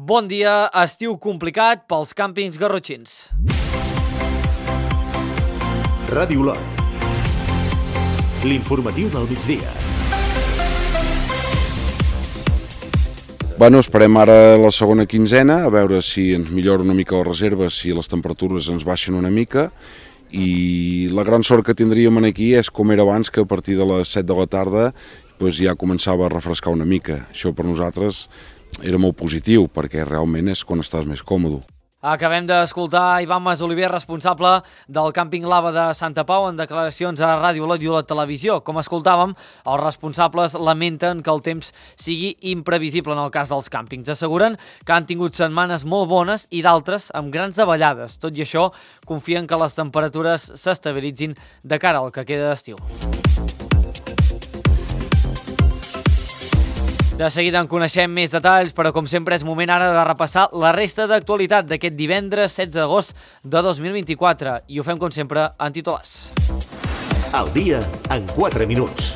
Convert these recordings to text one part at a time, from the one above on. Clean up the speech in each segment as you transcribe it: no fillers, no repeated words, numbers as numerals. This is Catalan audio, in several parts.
Bon dia, estiu complicat pels càmpings garrotxins. Ràdio Olot. L'informatiu del migdia. Bueno, esperem ara la segona quinzena, a veure si ens millora una mica les reserves, si les temperatures ens baixen una mica, i la gran sort que tindríem aquí és com era abans, que a partir de les 7 de la tarda ja començava a refrescar una mica. Això per nosaltres era molt positiu, perquè realment és quan estàs més còmode. Acabem d'escoltar Ivan Masoliver, responsable del càmping Lava de Santa Pau, en declaracions a Ràdio Olot i Olot Televisió. Com escoltàvem, els responsables lamenten que el temps sigui imprevisible en el cas dels càmpings. Asseguren que han tingut setmanes molt bones i d'altres amb grans davallades. Tot i això, confien que les temperatures s'estabilitzin de cara al que queda d'estiu. De seguida en coneixem més detalls, però com sempre és moment ara de repassar la resta d'actualitat d'aquest divendres 16 d'agost de 2024. I ho fem com sempre en titulars. Al dia en 4 minuts.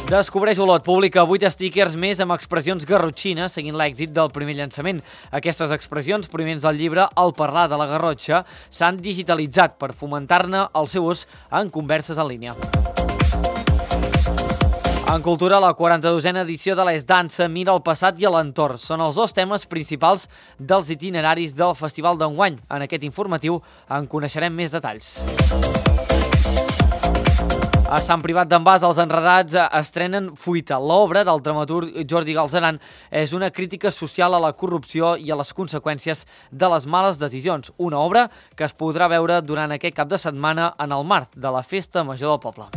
Descobreix Olot publica 8 stickers més amb expressions garrotxines seguint l'èxit del primer llançament. Aquestes expressions, provinents del llibre El parlar de la Garrotxa, s'han digitalitzat per fomentar-ne el seu ús en converses en línia. En cultura, la 42a edició de l'Es Dansa mira el passat i a l'entorn. Són els dos temes principals dels itineraris del festival d'enguany. En aquest informatiu en coneixerem més detalls. A Sant Privat d'en Bas, els enredats estrenen Fuita. L'obra del dramaturg Jordi Galzeran és una crítica social a la corrupció i a les conseqüències de les males decisions. Una obra que es podrà veure durant aquest cap de setmana en el marc de la Festa Major del Poble.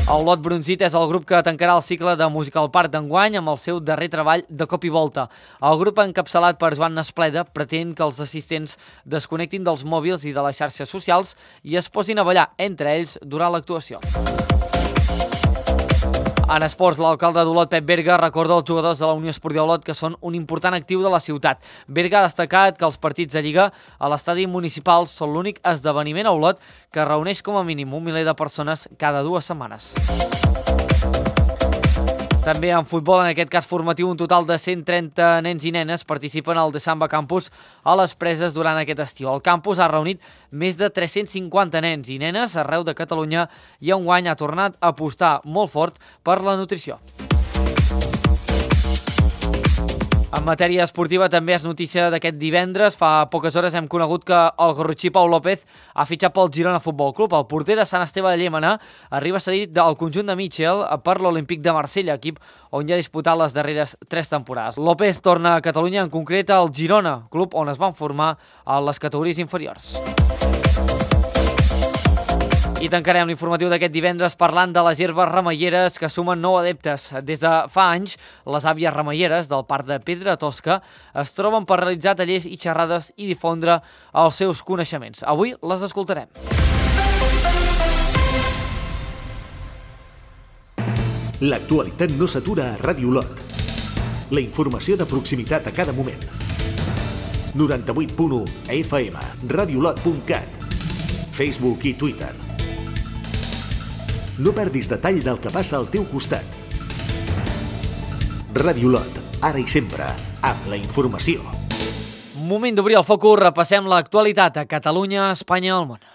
El Olot Brunzit és el grup que tancarà el cicle de Musical Park d'enguany amb el seu darrer treball de cop i volta. El grup, encapçalat per Joan Nespleda, pretén que els assistents desconnectin dels mòbils i de les xarxes socials i es posin a ballar entre ells durant l'actuació. En esports, l'alcalde d'Olot, Pep Berga, recorda als jugadors de la Unió Esportiva Olot que són un important actiu de la ciutat. Berga ha destacat que els partits de Lliga a l'estadi municipal són l'únic esdeveniment a Olot que reuneix com a mínim 1 miler de persones cada 2 setmanes. També en futbol, en aquest cas formatiu, un total de 130 nens i nenes participen al The Samba Campus a les Preses durant aquest estiu. El campus ha reunit més de 350 nens i nenes arreu de Catalunya i enguany ha tornat a apostar molt fort per la nutrició. En matèria esportiva també és notícia d'aquest divendres. Fa poques hores hem conegut que el garrotxí Pau López ha fitxat pel Girona Futbol Club. El porter de Sant Esteve de Llémena arriba cedit del conjunt de Mitchell per l'Olímpic de Marsella, equip on ja ha disputat les darreres 3 temporades. López torna a Catalunya, en concret al Girona, club on es van formar a les categories inferiors. I tancarem l'informatiu d'aquest divendres parlant de les herbes remeieres que sumen 9 adeptes. Des de fa anys, les àvies remeieres del Parc de Pedra Tosca es troben per realitzar tallers i xerrades i difondre els seus coneixements. Avui les escoltarem. L'actualitat no s'atura a Ràdio Olot. La informació de proximitat a cada moment. 98.1 FM, radiolot.cat, Facebook i Twitter. No perdis detall del que passa al teu costat. Ràdio Olot, ara i sempre, amb la informació. Moment d'obrir el focus, repassem l'actualitat a Catalunya, Espanya i el món.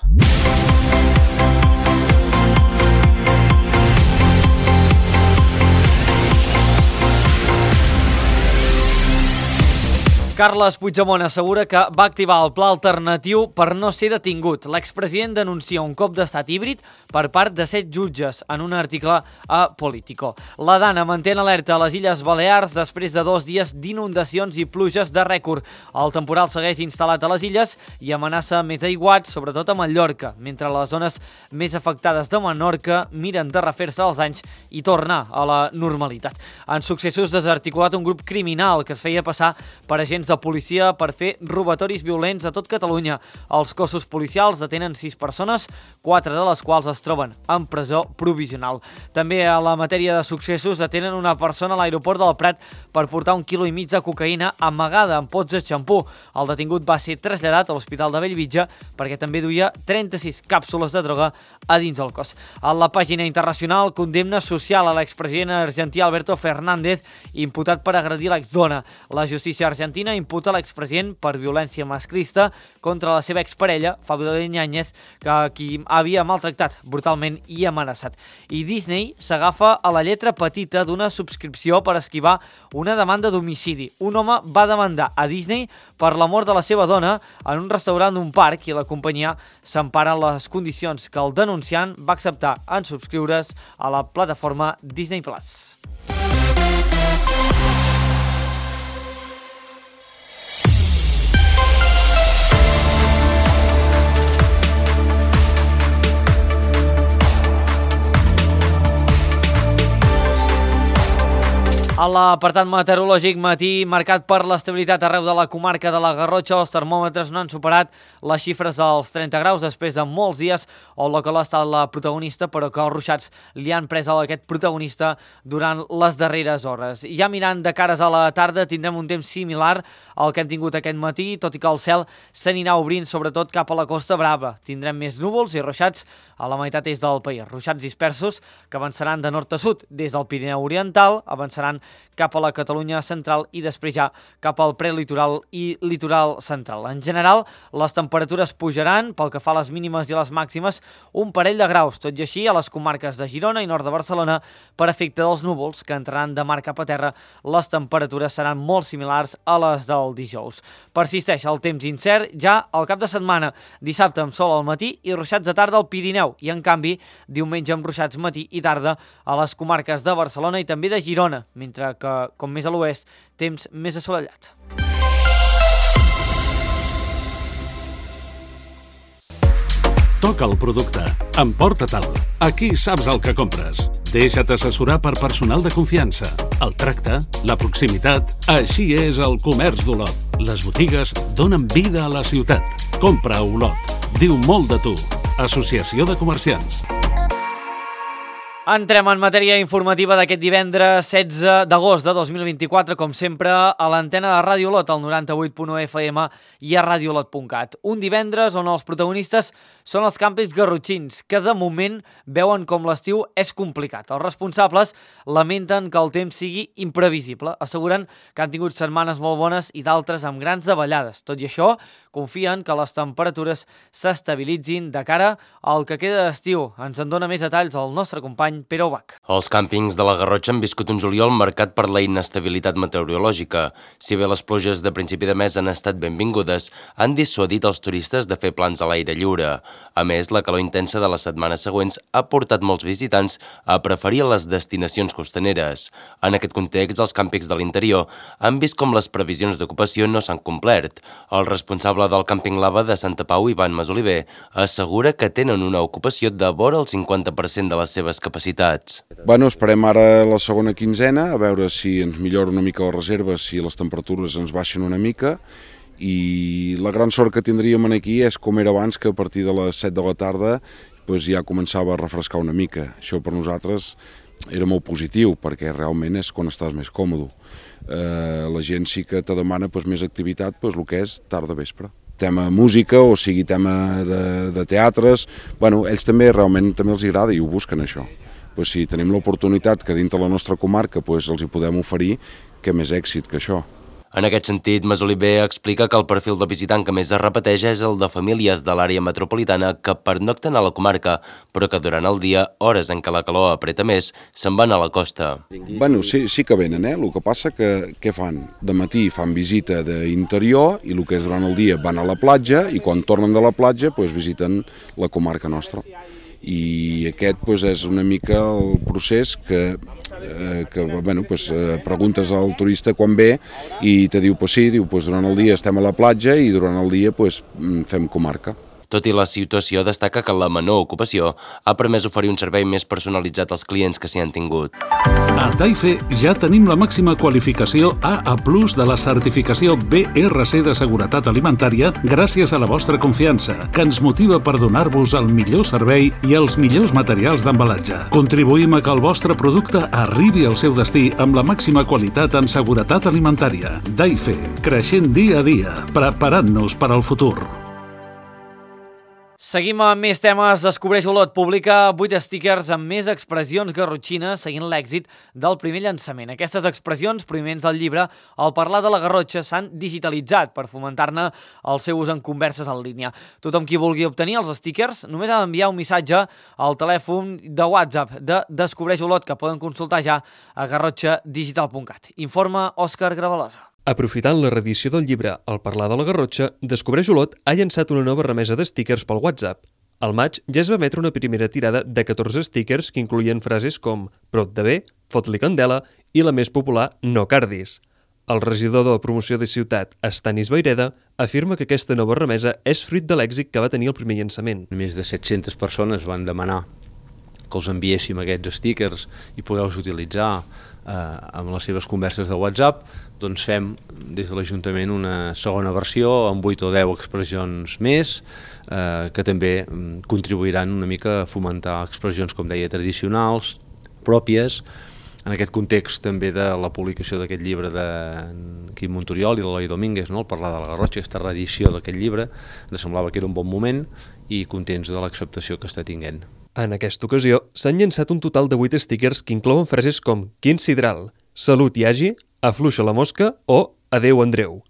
Carles Puigdemont assegura que va activar el pla alternatiu per no ser detingut. L'expresident denuncia un cop d'estat híbrid per part de 7 jutges en un article a Politico. La Dana manté en alerta a les Illes Balears després de 2 dies d'inundacions i pluges de rècord. El temporal segueix instal·lat a les illes i amenaça més aiguats, sobretot a Mallorca, mentre les zones més afectades de Menorca miren de refer-se els anys i tornar a la normalitat. En successos desarticulat un grup criminal que es feia passar per agents de policia per fer robatoris violents a tot Catalunya. Els cossos policials detenen 6 persones, 4 de les quals es troben en presó provisional. També a la matèria de successos detenen una persona a l'aeroport del Prat per portar 1,5 quilos de cocaïna amagada en pots de xampú. El detingut va ser traslladat a l'Hospital de Bellvitge perquè també duia 36 càpsules de droga a dins el cos. A la pàgina internacional, condemna social a l'expresident argentí Alberto Fernández, imputat per agredir l'exdona. La justícia argentina imputa l'expresident per violència masclista contra la seva exparella, Fabiola Yáñez, qui havia maltractat brutalment i amenaçat. I Disney s'agafa a la lletra petita d'una subscripció per esquivar una demanda d'homicidi. Un home va demandar a Disney per la mort de la seva dona en un restaurant d'un parc i la companyia s'empara en les condicions que el denunciant va acceptar en subscriure's a la plataforma Disney+. A l'apartat meteorològic, matí marcat per l'estabilitat arreu de la comarca de la Garrotxa. Els termòmetres no han superat les xifres dels 30 graus després de molts dies on la calor ha estat la protagonista, però que els ruixats li han pres a aquest protagonista durant les darreres hores. Ja mirant de cares a la tarda tindrem un temps similar al que hem tingut aquest matí, tot i que el cel s'anirà obrint sobretot cap a la Costa Brava. Tindrem més núvols i ruixats a la meitat est del país. Ruixats dispersos que avançaran de nord a sud des del Pirineu Oriental, avançaran cap a la Catalunya central i després ja cap al prelitoral i litoral central. En general, les temperatures pujaran pel que fa a les mínimes i les màximes un parell de graus, tot i així a les comarques de Girona i nord de Barcelona, per efecte dels núvols que entraran de mar cap a terra, les temperatures seran molt similars a les del dijous. Persisteix el temps incert ja al cap de setmana, dissabte amb sol al matí i ruixats de tarda al Pirineu, i en canvi diumenge amb ruixats matí i tarda a les comarques de Barcelona i també de Girona, mentre que, com més a l'oest, temps més assolellat. Toca el producte. Emporta-te'l. Aquí saps el que compres. Deixa't assessorar per personal de confiança. El tracte, la proximitat... Així és el comerç d'Olot. Les botigues donen vida a la ciutat. Compra a Olot. Diu molt de tu. Associació de Comerciants. Entrem en matèria informativa d'aquest divendres 16 d'agost de 2024, com sempre, a l'antena de Ràdio Olot, al 98.1 FM i a radioolot.cat. Un divendres on els protagonistes són els càmpings garrotxins, que de moment veuen com l'estiu és complicat. Els responsables lamenten que el temps sigui imprevisible. Asseguren que han tingut setmanes molt bones i d'altres amb grans davallades. Tot i això, confien que les temperatures s'estabilitzin de cara al que queda d'estiu. Ens en dona més detalls el nostre company Pere Ubach. Els càmpings de la Garrotxa han viscut un juliol marcat per la inestabilitat meteorològica. Si bé les pluges de principi de mes han estat benvingudes, han dissuadit els turistes de fer plans a l'aire lliure. A més, la calor intensa de les setmanes següents ha portat molts visitants a preferir les destinacions costaneres. En aquest context, els càmpings de l'interior han vist com les previsions d'ocupació no s'han complert. El responsable del càmping Lava de Santa Pau, Ivan Masoliver, assegura que tenen una ocupació de vora el 50% de les seves capacitats. Bueno, esperem ara la segona quinzena, a veure si ens millora una mica les reserves, si les temperatures ens baixen una mica, i la gran sort que tindríem aquí és com era abans, que a partir de les 7 de la tarda ja començava a refrescar una mica. Això per nosaltres era molt positiu, perquè realment és quan estàs més còmode. La gent sí que te demana més activitat, el que és tarda-vespre. Tema música, o sigui tema de teatres, ells també realment els agrada i ho busquen això. Si tenim l'oportunitat que dintre la nostra comarca els hi podem oferir, què més èxit que això. En aquest sentit, Masoliver explica que el perfil de visitant que més es repeteix és el de famílies de l'àrea metropolitana que pernocten a la comarca, però que durant el dia, hores en què la calor apreta més, se'n van a la costa. Sí que venen, el que passa que què fan? De matí fan visita d'interior i el que és durant el dia van a la platja i quan tornen de la platja visiten la comarca nostra. I aquest és una mica el procés que preguntes al turista quan ve i te diu sí, durant el dia estem a la platja i durant el dia fem comarca. Tot i la situació, destaca que la menor ocupació ha permès oferir un servei més personalitzat als clients que s'hi han tingut. A Taife ja tenim la màxima qualificació AA+ de la certificació BRC de seguretat alimentària gràcies a la vostra confiança, que ens motiva per donar-vos el millor servei i els millors materials d'embalatge. Contribuïm a que el vostre producte arribi al seu destí amb la màxima qualitat en seguretat alimentària. Taife, creixent dia a dia, preparant-nos per al futur. Seguim amb més temes. Descobreix Olot publica 8 stickers amb més expressions garrotxines seguint l'èxit del primer llançament. Aquestes expressions, provinents del llibre El parlar de la Garrotxa, s'han digitalitzat per fomentar-ne el seu ús en converses en línia. Tothom qui vulgui obtenir els stickers només ha d'enviar un missatge al telèfon de WhatsApp de Descobreix Olot, que poden consultar ja a garrotxadigital.cat. Informa Òscar Gravalosa. Aprofitant la reedició del llibre El parlar de la Garrotxa, Descobreix Olot ha llançat una nova remesa de stickers pel WhatsApp. Al maig ja es va emetre una primera tirada de 14 stickers que incloïen frases com «Prop de bé», «Fot-li candela» i la més popular «No cardis». El regidor de la promoció de ciutat, Estanis Vaireda, afirma que aquesta nova remesa és fruit de l'èxit que va tenir el primer llançament. Més de 700 persones van demanar que els enviéssim aquests stickers i poder-los utilitzar amb les seves converses de WhatsApp. Doncs fem des de l'Ajuntament una segona versió amb 8 o 10 expressions més que també contribuiran una mica a fomentar expressions, com deia, tradicionals, pròpies, en aquest context també de la publicació d'aquest llibre de Quim Montoriol i de l'Eloi Domínguez, no? El parlar de la Garrotxa, aquesta reedició d'aquest llibre, ens semblava que era un bon moment i contents de l'acceptació que està tinguent. En aquesta ocasió, s'han llançat un total de 8 stickers que inclouen frases com «Quin sidral», «Salut hi hagi», «Afluixa la mosca» o «Adeu Andreu».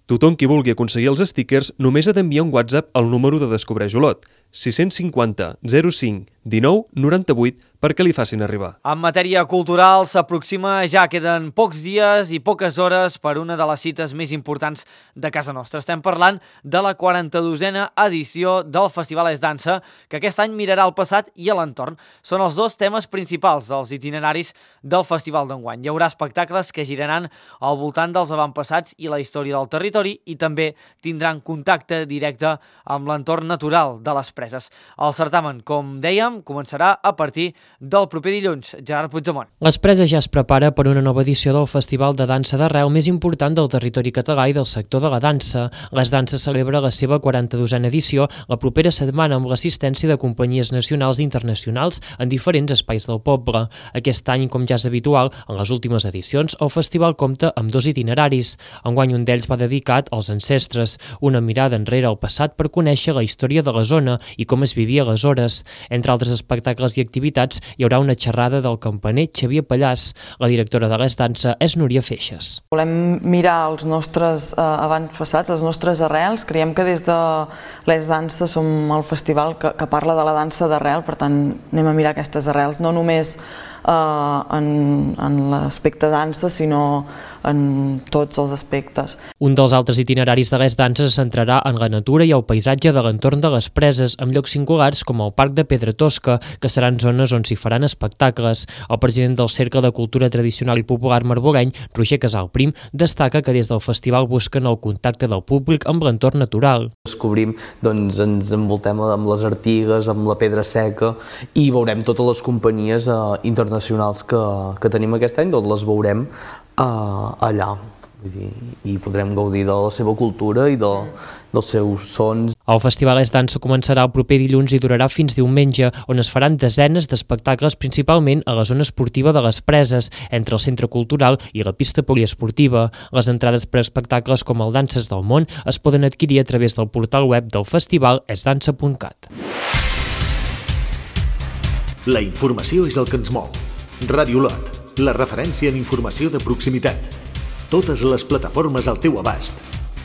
Tothom qui vulgui aconseguir els stickers només ha d'enviar un WhatsApp al número de Descobreix Olot, 650 05 19 98, perquè li facin arribar. En matèria cultural s'aproxima, ja queden pocs dies i poques hores per una de les cites més importants de casa nostra. Estem parlant de la 42a edició del Festival Es Dansa, que aquest any mirarà al passat i a l'entorn. Són els dos temes principals dels itineraris del festival d'enguany. Hi haurà espectacles que giraran al voltant dels avantpassats i la història del territori i també tindran contacte directe amb l'entorn natural de les preses. El certamen, com dèiem, començarà a partir del proper dilluns. Gerard Puigdemont. Les Preses ja es prepara per una nova edició del Festival de Dansa d'Arrel més important del territori català i del sector de la dansa. Les Danses celebra la seva 42a edició la propera setmana amb l'assistència de companyies nacionals i internacionals en diferents espais del poble. Aquest any, com ja és habitual, en les últimes edicions, el festival compta amb 2 itineraris. Enguany un d'ells va dedicat als ancestres, una mirada enrere al passat per conèixer la història de la zona i com es vivia aleshores. Entre altres espectacles i activitats, hi haurà una xerrada del campaner Xavier Pallàs. La directora de l'Es Dansa és Núria Feixes. Volem mirar els nostres avantpassats, les nostres arrels. Creiem que des de l'Es Dansa som el festival que parla de la dansa d'arrel, per tant anem a mirar aquestes arrels, no només en l'aspecte dansa, sinó en tots els aspectes. Un dels altres itineraris de l'Es Dansa se centrarà en la natura i el paisatge de l'entorn de les preses, amb llocs singulars com el Parc de Pedra Tosca, que seran zones on s'hi faran espectacles. El president del Cercle de Cultura Tradicional i Popular Marboreny, Roger Casal Prim, destaca que des del festival busquen el contacte del públic amb l'entorn natural. Descobrim, doncs ens envoltem amb les artigues, amb la pedra seca i veurem totes les companyies internacionals que tenim aquest any, doncs les veurem allà. I podrem gaudir de la seva cultura i dels seus sons. El Festival Es Dansa començarà el proper dilluns i durarà fins diumenge, on es faran desenes d'espectacles principalment a la zona esportiva de les Preses, entre el Centre Cultural i la pista poliesportiva. Les entrades per a espectacles com el Danses del Món es poden adquirir a través del portal web del festival esdansa.cat. La informació és el que ens mou. Ràdio Olot, la referència en informació de proximitat. Totes les plataformes al teu abast.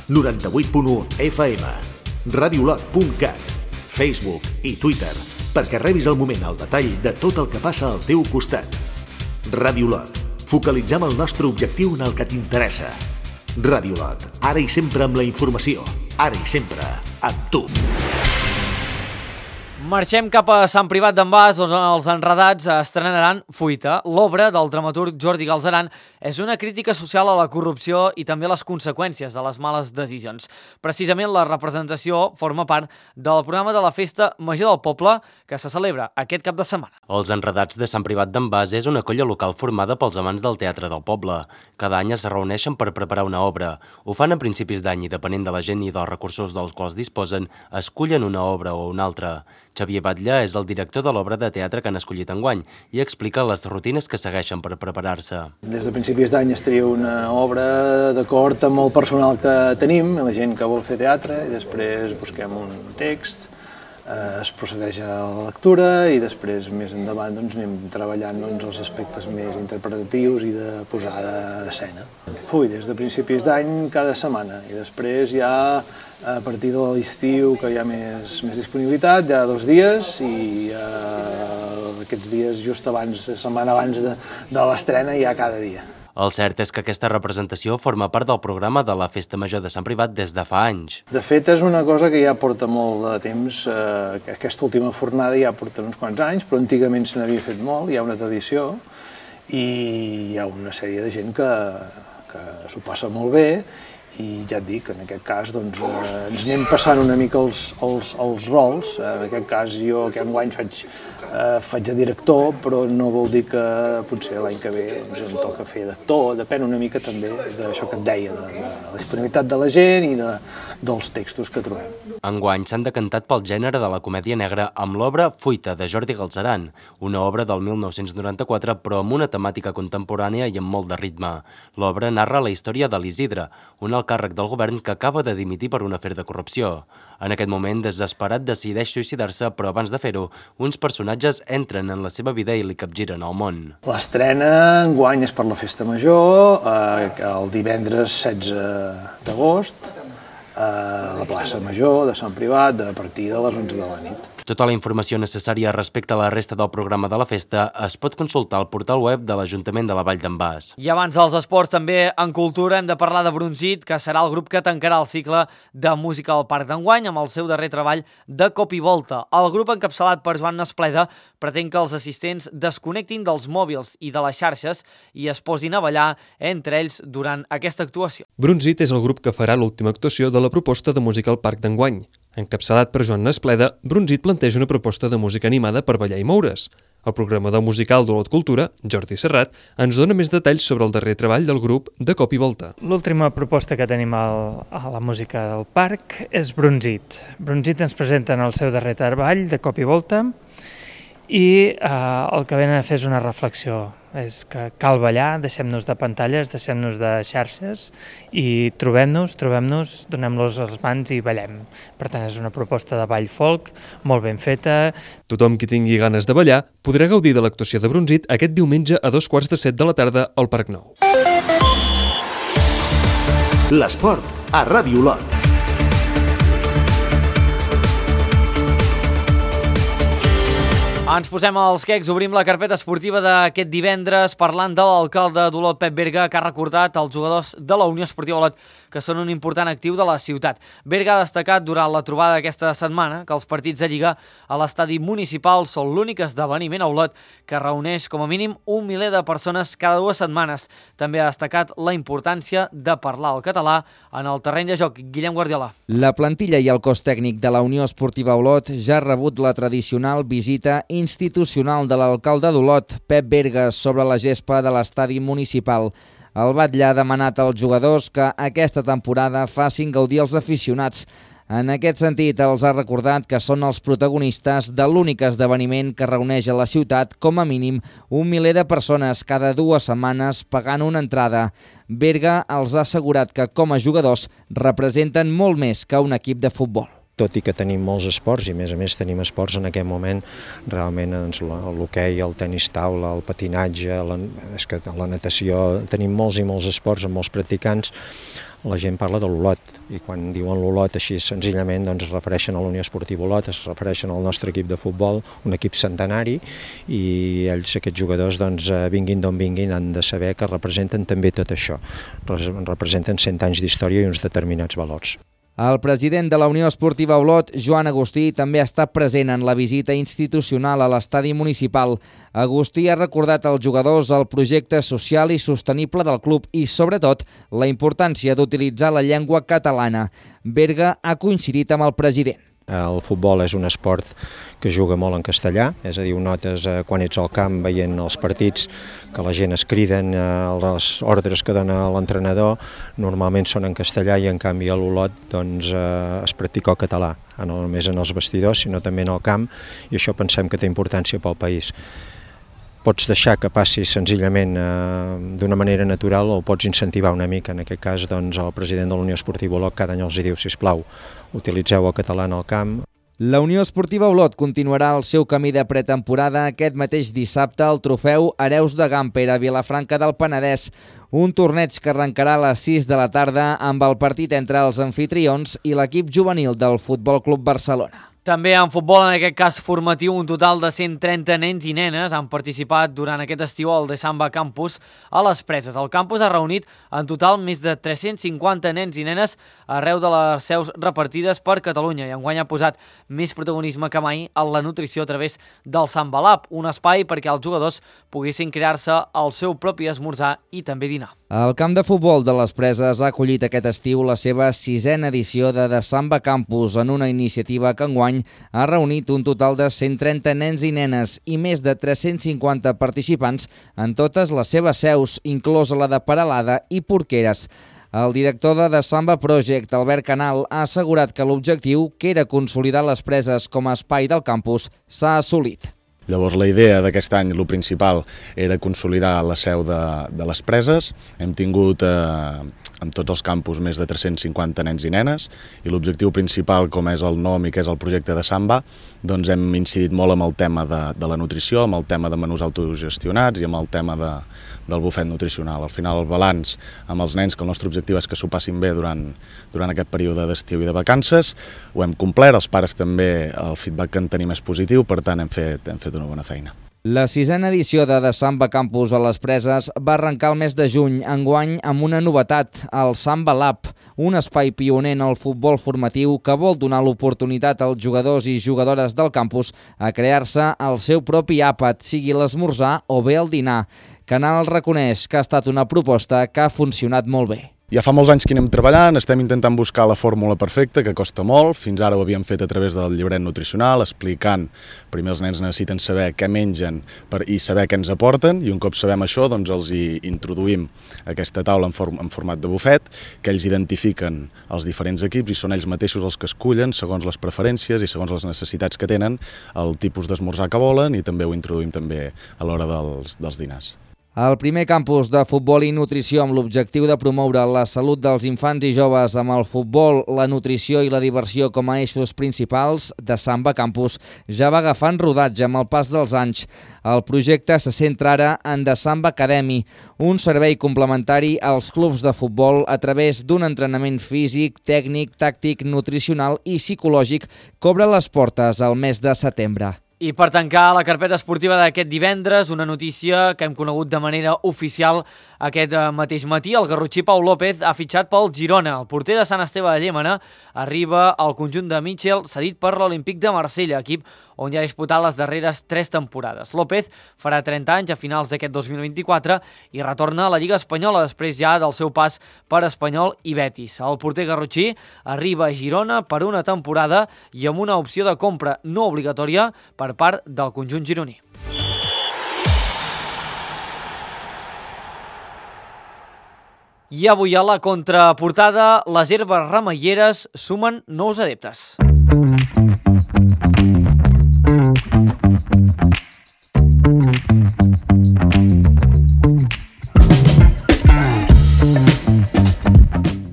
98.1 FM, radiolot.cat, Facebook i Twitter, perquè rebis al moment el detall de tot el que passa al teu costat. Ràdio Olot, focalitzem el nostre objectiu en el que t'interessa. Ràdio Olot, ara i sempre amb la informació, ara i sempre amb tu. Marxem cap a Sant Privat d'en Bas, on els enredats estrenaran Fuita. L'obra del dramaturg Jordi Galzeran és una crítica social a la corrupció i també a les conseqüències de les males decisions. Precisament la representació forma part del programa de la Festa Major del Poble que se celebra aquest cap de setmana. Els enredats de Sant Privat d'en Bas és una colla local formada pels amants del teatre del poble. Cada any es reuneixen per preparar una obra. Ho fan a principis d'any i, depenent de la gent i dels recursos dels quals disposen, escullen una obra o una altra. Xavier Batlle és el director de l'obra de teatre que han escollit enguany i explica les rutines que segueixen per preparar-se. Des de principis d'any es tria una obra d'acord amb el personal que tenim, la gent que vol fer teatre, i després busquem un text, es procedeix a la lectura i després més endavant anem treballant els aspectes més interpretatius i de posada d'escena. Des de principis d'any cada setmana i després ja a partir de l'estiu que hi ha més disponibilitat, hi ha 2 dies i aquests dies just abans, setmana abans de l'estrena hi ha cada dia. El cert és que aquesta representació forma part del programa de la Festa Major de Sant Privat des de fa anys. De fet, és una cosa que ja porta molt de temps, aquesta última fornada ja porta uns quants anys, però antigament se n'havia fet molt, hi ha una tradició i hi ha una sèrie de gent que s'ho passa molt bé i ja et dic, en aquest cas ens anem passant una mica els rols. En aquest cas jo que enguany faig de director, però no vol dir que potser l'any que ve em toca fer d'actor, depèn una mica també d'això que et deia, de la disponibilitat de la gent i dels textos que trobem. Enguany s'han decantat pel gènere de la comèdia negra amb l'obra Fuita, de Jordi Galzeran, una obra del 1994 però amb una temàtica contemporània i amb molt de ritme. L'obra narra la història de l'Isidre, un alt càrrec del govern que acaba de dimitir per un afer de corrupció. En aquest moment, desesperat, decideix suïcidar-se, però abans de fer-ho, uns personatges entren en la seva vida i li capgiren el món. L'estrena enguany és per la Festa Major, el divendres 16 d'agost, a la plaça Major de Sant Privat, a partir de les 11 de la nit. Tota la informació necessària respecte a la resta del programa de la festa es pot consultar al portal web de l'Ajuntament de la Vall d'en Bas. I abans dels esports, també en cultura, hem de parlar de Brunzit, que serà el grup que tancarà el cicle de música al Parc d'enguany amb el seu darrer treball de cop i volta. El grup, encapçalat per Joan Nespleda, pretén que els assistents desconnectin dels mòbils i de les xarxes i es posin a ballar entre ells durant aquesta actuació. Brunzit és el grup que farà l'última actuació de la proposta de música al Parc d'enguany. Encapçalat per Joan Nespleda, Brunzit planteja una proposta de música animada per ballar i moure's. El programador musical d'Olot Cultura, Jordi Serrat, ens dona més detalls sobre el darrer treball del grup de cop i volta. L'última proposta que tenim a la música del parc és Brunzit. Brunzit ens presenten el seu darrer treball de cop i volta i el que venen a fer és una reflexió. És que cal ballar, deixem-nos de pantalles, deixem-nos de xarxes i trobem-nos, donem-los les mans i ballem. Per tant, és una proposta de ball folk, molt ben feta. Tothom qui tingui ganes de ballar podrà gaudir de l'actuació de Brunzit aquest diumenge a 7:15 de la tarda al Parc Nou. L'esport a Ràdio Olot. Ens posem als quecs, obrim la carpeta esportiva d'aquest divendres parlant de l'alcalde d'Olot, Pep Berga, que ha recordat els jugadors de la Unió Esportiva Olot que són un important actiu de la ciutat. Berga ha destacat durant la trobada d'aquesta setmana que els partits de Lliga a l'estadi municipal són l'únic esdeveniment a Olot que reuneix com a mínim 1 miler de persones cada 2 setmanes. També ha destacat la importància de parlar el català en el terreny de joc. Guillem Guardiola. La plantilla i el cos tècnic de la Unió Esportiva Olot ja ha rebut la tradicional visita institucional de l'alcalde d'Olot, Pep Berga, sobre la gespa de l'estadi municipal. El batlle ha demanat als jugadors que aquesta temporada facin gaudir els aficionats. En aquest sentit, els ha recordat que són els protagonistes de l'únic esdeveniment que reuneix a la ciutat com a mínim 1 miler de persones cada 2 setmanes pagant una entrada. Berga els ha assegurat que com a jugadors representen molt més que un equip de futbol. Tot i que tenim molts esports, i a més tenim esports en aquest moment, realment l'hoquei, el tenis taula, el patinatge, la natació, tenim molts i molts esports amb molts practicants, la gent parla de l'Olot, i quan diuen l'Olot així senzillament es refereixen a la Unió Esportiva Olot, es refereixen al nostre equip de futbol, un equip centenari, i ells, aquests jugadors, vinguin d'on vinguin, han de saber que representen també tot això, representen 100 anys d'història i uns determinats valors. El president de la Unió Esportiva Olot, Joan Agustí, també ha estat present en la visita institucional a l'estadi municipal. Agustí ha recordat als jugadors el projecte social i sostenible del club i, sobretot, la importància d'utilitzar la llengua catalana. Berga ha coincidit amb el president. El futbol és un esport que juga molt en castellà, és a dir, ho notes quan ets al camp veient els partits que la gent es criden, les ordres que dona l'entrenador normalment són en castellà i en canvi a l'Olot es practica el català, no només en els vestidors sinó també en el camp, i això pensem que té importància pel país. Pots deixar que passi senzillament d'una manera natural o pots incentivar una mica. En aquest cas, el president de la Unió Esportiva Olot cada any els diu, sisplau, utilitzeu el català en el camp. La Unió Esportiva Olot continuarà el seu camí de pretemporada aquest mateix dissabte al trofeu Hereus de Gamper a Vilafranca del Penedès, un torneig que arrencarà a les 6 de la tarda amb el partit entre els anfitrions i l'equip juvenil del Futbol Club Barcelona. També en futbol, en aquest cas formatiu, un total de 130 nens i nenes han participat durant aquest estiu al Samba Campus a les Preses. El campus ha reunit en total més de 350 nens i nenes arreu de les seus repartides per Catalunya i enguany ha posat més protagonisme que mai en la nutrició a través del Samba Lab, un espai perquè els jugadors poguessin crear-se el seu propi esmorzar i també dinar. El camp de futbol de les Preses ha acollit aquest estiu la seva 6a edició de Samba Campus en una iniciativa que enguany ha reunit un total de 130 nens i nenes i més de 350 participants en totes les seves seus, inclosa la de Peralada i Porqueres. El director de Samba Project, Albert Canal, ha assegurat que l'objectiu, que era consolidar les Preses com a espai del campus, s'ha assolit. Llavors la idea d'aquest any, el principal, era consolidar la seu de les Preses. Hem tingut en tots els campus més de 350 nens i nenes i l'objectiu principal, com és el nom i que és el projecte de Samba, doncs hem incidit molt amb el tema de la nutrició, amb el tema de menús autogestionats i amb el tema del bufet nutricional. Al final el balanç amb els nens, que el nostre objectiu és que s'ho passin bé durant aquest període d'estiu i de vacances, ho hem complert, els pares també, el feedback que en tenim és positiu, per tant hem fet una bona feina. La 6a edició de Samba Campus a les Preses va arrencar el mes de juny, enguany amb una novetat, el Samba Lab, un espai pioner en el futbol formatiu que vol donar l'oportunitat als jugadors i jugadores del campus a crear-se el seu propi àpat, sigui l'esmorzar o bé el dinar. Canal reconeix que ha estat una proposta que ha funcionat molt bé. Ja fa molts anys que anem treballant, estem intentant buscar la fórmula perfecta, que costa molt. Fins ara ho havíem fet a través del llibret nutricional, explicant, primer els nens necessiten saber què mengen i saber què ens aporten, i un cop sabem això, doncs els hi introduïm aquesta taula en format de bufet, que ells identifiquen els diferents equips i són ells mateixos els que escullen, segons les preferències i segons les necessitats que tenen, el tipus d'esmorzar que volen, i també ho introduïm també a l'hora dels dinars. El primer campus de futbol i nutrició amb l'objectiu de promoure la salut dels infants i joves amb el futbol, la nutrició i la diversió com a eixos principals de Samba Campus ja va agafant rodatge amb el pas dels anys. El projecte se centra ara en The Samba Academy, un servei complementari als clubs de futbol a través d'un entrenament físic, tècnic, tàctic, nutricional i psicològic que obre les portes al mes de setembre. I per tancar la carpeta esportiva d'aquest divendres, una notícia que hem conegut de manera oficial aquest mateix matí. El garrotxí Pau López ha fitxat pel Girona. El porter de Sant Esteve de Llémena arriba al conjunt de Mitchell, cedit per l'Olímpic de Marsella, equip on ja ha disputat les darreres 3 temporades. López farà 30 anys a finals d'aquest 2024 i retorna a la Lliga Espanyola després ja del seu pas per Espanyol i Betis. El porter garrotxí arriba a Girona per una temporada i amb una opció de compra no obligatòria per part del conjunt gironí. I avui a la contraportada, les herbes remeieres sumen nous adeptes.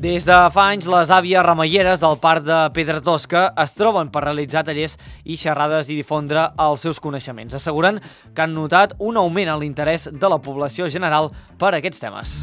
Des de fa anys, les àvies remeieres del Parc de Pedra Tosca es troben per realitzar tallers i xerrades i difondre els seus coneixements. Asseguren que han notat un augment en l'interès de la població general per a aquests temes.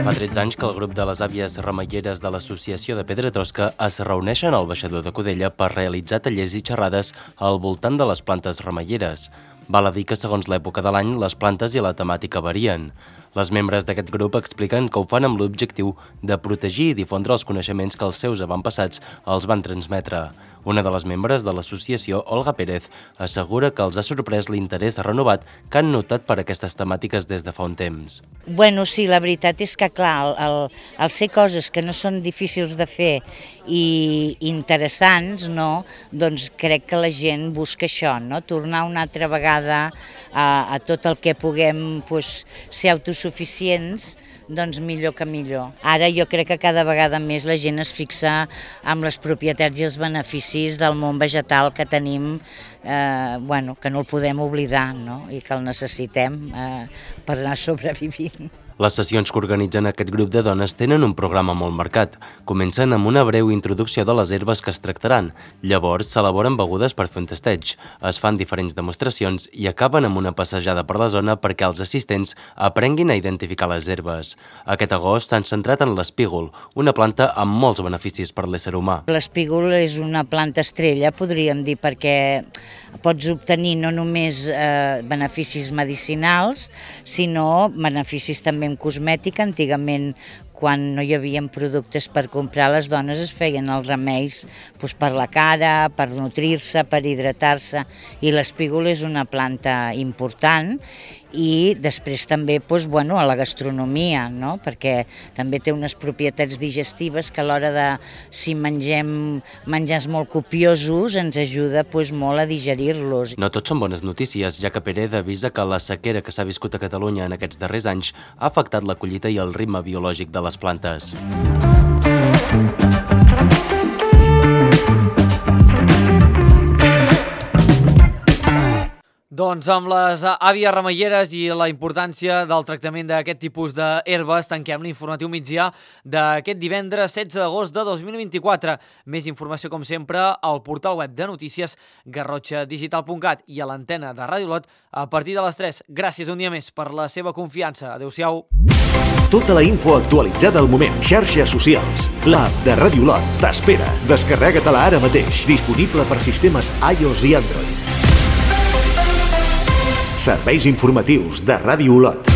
Fa 13 anys que el grup de les àvies remeieres de l'Associació de Pedra Tosca es reuneixen al baixador de Codella per realitzar tallers i xerrades al voltant de les plantes remeieres. Val a dir que segons l'època de l'any les plantes i la temàtica varien. Les membres d'aquest grup expliquen que ho fan amb l'objectiu de protegir i difondre els coneixements que els seus avantpassats els van transmetre. Una de les membres de l'associació, Olga Pérez, assegura que els ha sorprès l'interès renovat que han notat per aquestes temàtiques des de fa un temps. Bueno, sí, la veritat és que, clar, al ser coses que no són difícils de fer i interessants, no? Doncs crec que la gent busca això, no? Tornar una altra vegada a tot el que puguem ser autosuficients, doncs millor que millor. Ara jo crec que cada vegada més la gent es fixa en les propietats i els beneficis del món vegetal que tenim, que no el podem oblidar, no? I que el necessitem per anar sobrevivint. Les sessions que organitzen aquest grup de dones tenen un programa molt marcat. Comencen amb una breu introducció de les herbes que es tractaran. Llavors s'elaboren begudes per fer un testeig. Es fan diferents demostracions i acaben amb una passejada per la zona perquè els assistents aprenguin a identificar les herbes. Aquest agost s'han centrat en l'espígol, una planta amb molts beneficis per l'ésser humà. L'espígol és una planta estrella, podríem dir, perquè pots obtenir no només beneficis medicinals, sinó beneficis també en cosmètica. Antigament, quan no hi havia productes per comprar, les dones es feien els remeis per la cara, per nutrir-se, per hidratar-se, i l'espígol és una planta important. I després també a la gastronomia, no? Perquè també té unes propietats digestives que a l'hora de, si mengem menjars molt copiosos, ens ajuda molt a digerir-los. No tot són bones notícies, ja que Pérez avisa que la sequera que s'ha viscut a Catalunya en aquests darrers anys ha afectat la collita i el ritme biològic de les plantes. Doncs amb les àvies remeieres i la importància del tractament d'aquest tipus d'herbes, tanquem l'informatiu migdià d'aquest divendres 16 d'agost de 2024. Més informació, com sempre, al portal web de notícies garrotxadigital.cat i a l'antena de Ràdio Olot a partir de les 3. Gràcies un dia més per la seva confiança. Adéu-siau. Tota la info actualitzada al moment. Xarxes socials. L'app de Ràdio Olot t'espera. Descarrega-te-la ara mateix. Disponible per sistemes iOS i Android. Serveis informatius de Ràdio Olot.